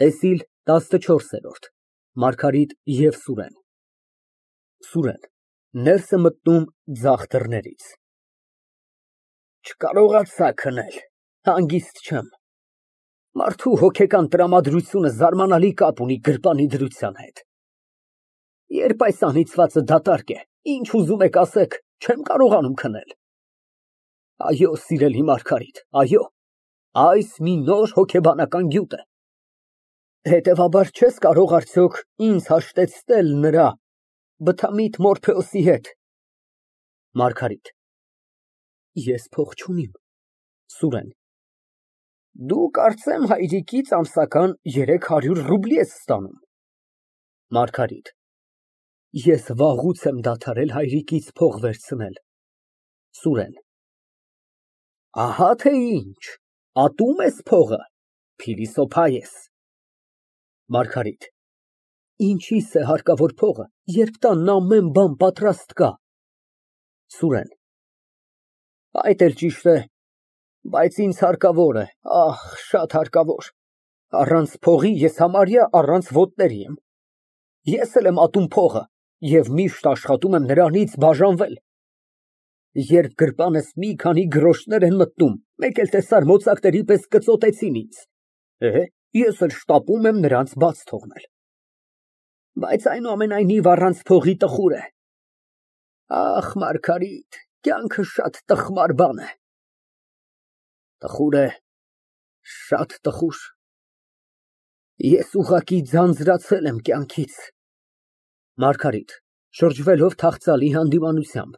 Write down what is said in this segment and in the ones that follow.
ՏԵՍԻԼ ՏԱՍՆՉՈՐՍԵՐՈՐԴ ՄԱՐԳԱՐԻՏ ԵՎ ՍՈՒՐԵՆ ՍՈՒՐԵՆ ֊ Ներս է մտնում ձախ դռներից։ Չկարողացա քնել, հանգիստ չեմ։ Մարդու հոգեկան տրամադրությունը զարմանալի կապ ունի գրպանի դրության հետ։ Երբ այս անիծվածը դատարկ է, ինչ ուզում եք ասեք, չեմ կարողանում քնել։ Այո, սիրելի Մարգարիտ, այո, այս մի նոր հոգեբանական գյուտ է։ Հետևաբար չես կարող արդյոք ինձ հաշտեցնել նրա բթամիտ Մորփեոսի հետ։ ՄԱՐԳԱՐԻՏ ֊ Ես փող չունիմ։ ՍՈՒՐԵՆ ֊ Դու կարծեմ հայրիկից ամսական 300 ռուբլի ես ստանում։ ՄԱՐԳԱՐԻՏ ֊ Ես վաղուց եմ դադարել հայրիկից փող վերցնել։ ՍՈՒՐԵՆ ֊ Ահա թե ինչ, ատում ես փողը, փիլիսոփա ես։ ՄԱՐԳԱՐԻՏ ֊ Ինչիս է հարկավոր փողը, երբ տանն ամեն բան պատրաստ կա։ ՍՈՒՐԵՆ ֊ Այդ էլ ճիշտ է, բայց ինձ հարկավոր է, ահ, շատ հարկավոր, առանց փողի ես համարյա առանց ոտների եմ։ Ես էլ եմ ատում փողը և միշտ աշխատում եմ նրանից բաժանվել։ Երբ գրպանս մի քանի գրոշներ են մտնում, մեկ էլ տեսար մոծակների պես կծոտեցին ինձ, ես էլ շտապում եմ նրանց բաց թողնել։ Բայց այնուամենայնիվ առանց փողի տխուր է։ Ախ, Մարգարիտ, կյանքը շատ տխմար բան է։ Տխուր է, շատ տխուր։ Ես ուղղակի ձանձրացել եմ կյանքից։ ՄԱՐԳԱՐԻՏ ֊ (Շրջվելով թախծալի հանդիմանությամբ)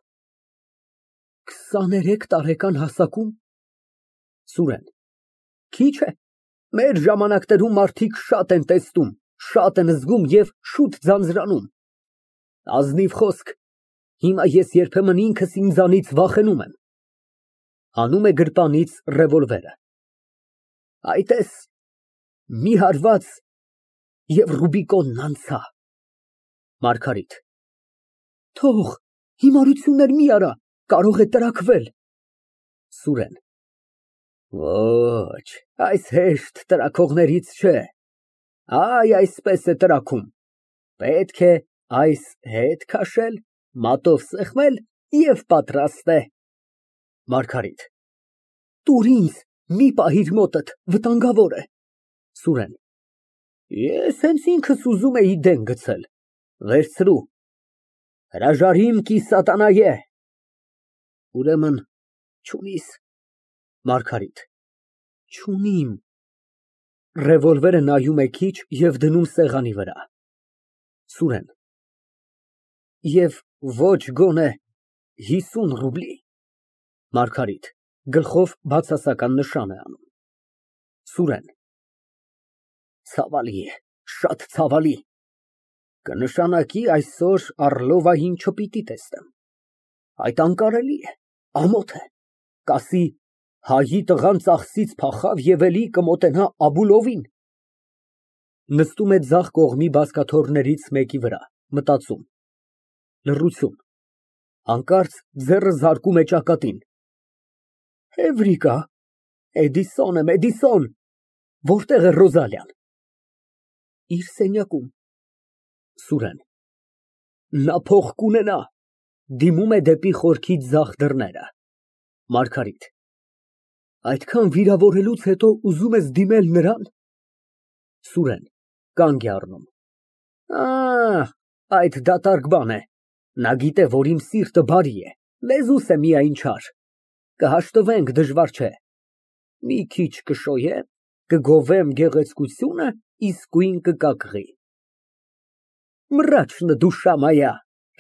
23 տարեկան հասակում։ ՍՈՒՐԵՆ ֊ Քիչ է, մեր ժամանակներում մարդիկ շատ են տեսնում, շատ են զգում և շուտ ձանձրանում։ Ազնիվ խոսք, հիմա ես երբեմն ինքս ինձանից վախենում եմ։ (Հանում է գրպանից ռևոլվերը) Այ տես, մի հարված և Ռուբիկոնն անցա։ ՄԱՐԳԱՐԻՏ ֊ Թող, հիմարություններ մի արա, կարող է տրաքվել։ ՍՈՒՐԵՆ ֊ Ոչ, այս հեշտ տրաքողներից չէ, այ այսպես է տրաքում, պետք է այս հետ քաշել, մատով սեղմել և պատրաստ է։ ՄԱՐԳԱՐԻՏ ֊ Տուր ինձ, մի պահիր մոտդ, վտանգավոր է։ ՍՈՒՐԵՆ ֊ Ես հենց ինքս ուզում էի դեն գցել, վերցրու, հրաժարիմ կի սատանայե։ Ուրեմն չունի՞ս։ ՄԱՐԳԱՐԻՏ ֊ Չունիմ։ (Ռևոլվերը նայում է քիչ և դնում սեղանի վրա)։ ՍՈՒՐԵՆ ֊ Եվ ոչ գոնե 50 ռուբլի։ ՄԱՐԳԱՐԻՏ ֊ (Գլխով բացասական նշան է անում) ՍՈՒՐԵՆ ֊ Ցավալի է, շատ ցավալի, կնշանակի այսօր Առլովային չպիտի տեսնեմ, այդ անկարելի է, ամոթ է, կասի հայի տղան ծախսից փախավ և էլի կմոտենա Աբուլովին։ (Նստում է ձախ կողմի բազկաթոռներից մեկի վրա, մտածում)։ Լռություն, հանկարծ ձեռը զարկում է ճակատին։ Էվրիկա, Էդիսոն եմ, Էդիսոն, որտե՞ղ է Ռոզալիան։ Իր սենյակում։ ՍՈՒՐԵՆ ֊ Նա փող կունենա։ (Դիմում է դեպի խորքի ձախ դռները)։ ՄԱՐԳԱՐԻՏ ֊ Այդքան վիրավորելուց հետո ուզում ես դիմել նրան։ ՍՈՒՐԵՆ ֊ (Կանգ է առնում) Այդ դատարկ բան է, նա գիտե, որ իմ սիրտը բարի է, լեզուս է միայն չար, կհաշտվենք, դժվար չէ, մի քիչ կշոյեմ, կգովեմ գեղեցկությունը, իսկույն կկակղի։ Մռաչնը դուշա մայա,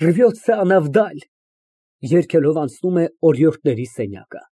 ռվյոցը անավդալ։ (Երգելով անցնում է օրիորդների սենյակը)։